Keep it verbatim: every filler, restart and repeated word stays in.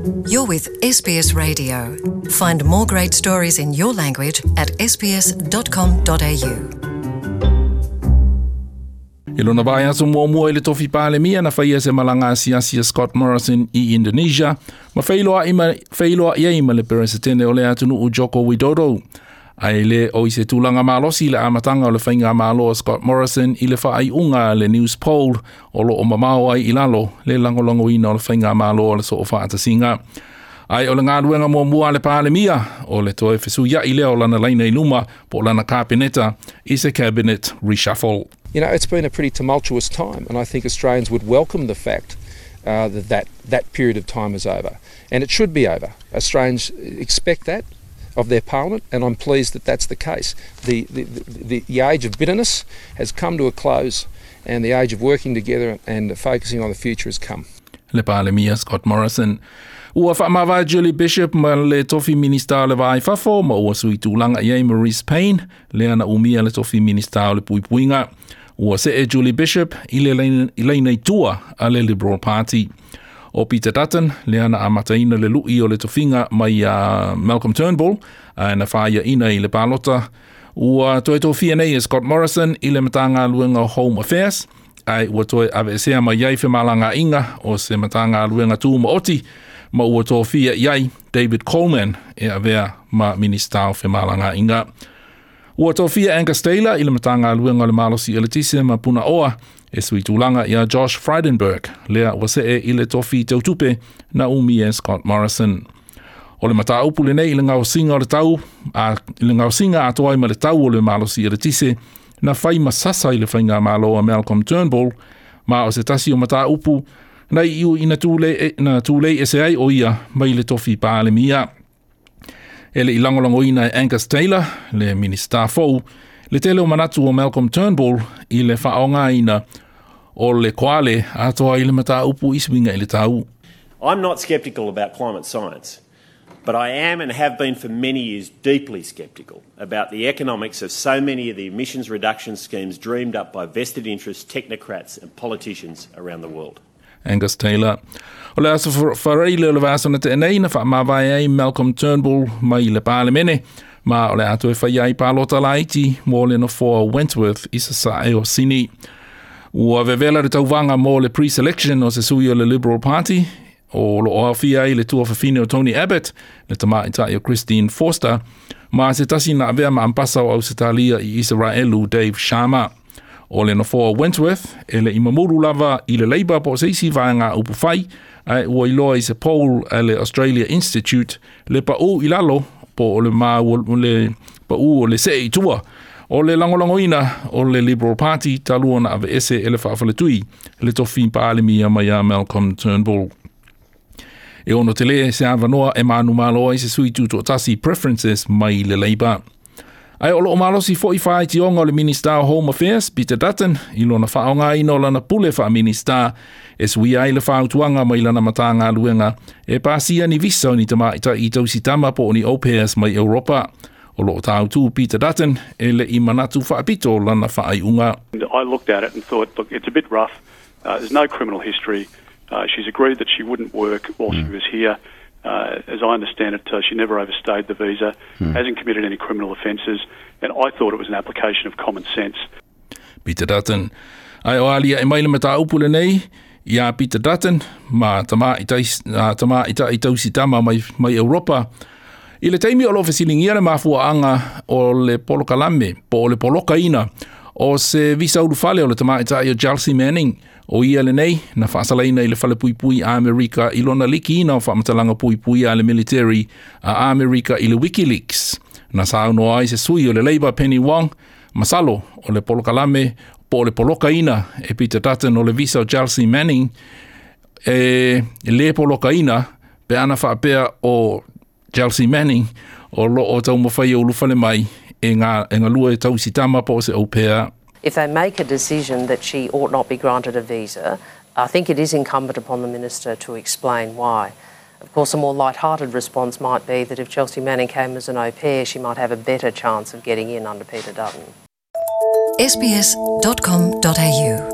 You're with S B S Radio. Find more great stories in your language at S B S dot com dot A U. I lona vaiaso muamua i le tofi palemia na faia se malaga asiasi a Scott Morrison i Indonesia ma feiloa'i ma feiloa'i ai ma le peresetene o le atunuu Joko Widodo. Ae le o i se tulaga malosi le amataga o le faigamalo a Scott Morrison i le faaiuga a le Newspoll o loo mamao ai i lalo le lagolagoina o le faigamalo o le Soofaatasiga. Ae o le galuega muamua a le palemia o le toe fesuia'i lea o lana laina i luma po o lana kapeneta i se cabinet reshuffle. You know, it's been a pretty tumultuous time, and I think Australians would welcome the fact uh, that, that that period of time is over. And it should be over. Australians expect that of their parliament, and I'm pleased that that's the case. The, the, the, the age of bitterness has come to a close, and the age of working together and focusing on the future has come. Le palemia Scott Morrison. Ua faamavae Julie Bishop ma le tofi minista o le Va i Fafo ma ua sui tulaga i ai Marise Payne lea na umia le tofi minista o le Puipuiga. Ua see Julie Bishop i le laina i tua a le Liberal Party. O Peter Dutton, lea na amataina le lui o le tofiga mai a Malcolm Turnbull, a na faiaina i le palota. Ua toe tofia nei e Scott Morrison i le Matagaluega o Home Affairs, ae ua toe aveesea mai ai femalagaaiga o se Matagaluega tumaoti ma ua tofia i ai David Coleman e avea ma minista o Femalagaaiga. Ua tofia Angus Taylor i le Matagaluega o le Malosi Eletise ma Punaoa e sui tulaga ia Josh Frydenberg, lea ua see i le tofi tautupe na umia e Scott Morrison. O le mataupu lenei i le gaosiga o le tau, a, i le gaosiga atoa ai ma le tau o le malosi eletise, na fai ma sasa i le faigamalo a Malcolm Turnbull, ma o se tasi o mataupu na iu ina tulei, na tulei ese ai o ia mai le tofi palemia. E le i lagolagoina e Angus Taylor, le minista fou, le tele o manatu o Malcolm Turnbull i le faaaogaina o le koale atoa i le mataupu i suiga i le tau. I'm not sceptical about climate science, but I am and have been for many years deeply sceptical about the economics of so many of the emissions reduction schemes dreamed up by vested interests, technocrats, and politicians around the world. Angus Taylor. O le aso Faraile o le vaiaso na tea nei na faamavae ai Malcolm Turnbull mai le Palemene ma o le a toe faia ai palota laiti mo le nofoa Wentworth i sasae o Sini. Ua vevela le tauvaga mo le pre-selection o se sui o le Liberal Party o loo aofia ai le tuafafine o Tony Abbott, le tamaitai o Christine Forster, ma se tasi na avea ma ambasa o Ausetalia i Isaraelu, Dave Sharma. O le nofoa Wentworth e le i mamulu lava i le Labor po o se isi vaega upufai, ae ua iloa i se poll a le Australia Institute le paū i lalo po o le ma le paū o le see i tua o le lagolagoina o le Liberal Party talu ona aveese e le faafaletui le tofi palemia mai a Malcolm Turnbull. E ono tele se avanoa e manumalo ai se sui tutoatasi preferences mai le Labor. Ae o loo malosi foi faitioga o le Minista o Home Affairs, Peter Dutton, i lona faaaogaina o lana pule faaminista e suia ai le fautuaga mai lana Matagaluega e pasia ni visa o ni tamaitai tausitama po o ni au pairs mai Europa. O loo tāutu Peter Dutton e le i manatu faapito lana faaiuga. I looked at it and thought, look, it's a bit rough. Uh, there's no criminal history. Uh, she's agreed that she wouldn't work while mm. she was here. Uh, as I understand it, uh, she never overstayed the visa, mm. hasn't committed any criminal offences, and I thought it was an application of common sense. Peter Dutton. Ae o aliae mai le mataupu lenei ia Peter Dutton ma tamaitai, tamaitai tausitama mai, mai Europa. I le taimi o lo fesiligia le mafuaaga o le polokalame po o le polokaina o se visa ulufale o le tamaitai o Chelsea Manning, o ia lenei na faasalaina i le fale puipui a Amerika i lona likiina o faamatalaga puipui a le military a Amerika i le WikiLeaks. Na saunoa ai se sui o le Labor Penny Wong, masalo o le polokalame po o le polokaina e Peter Dutton o le visa o Chelsea Manning e le polokaina pe ana faapea o Chelsea Manning o loo taumafai e ulufale mai e ngā, e galue e tausitama po o se au pair. If they make a decision that she ought not be granted a visa, I think it is incumbent upon the minister to explain why. Of course, a more light-hearted response might be that if Chelsea Manning came as an au pair, she might have a better chance of getting in under Peter Dutton. S B S dot com dot A U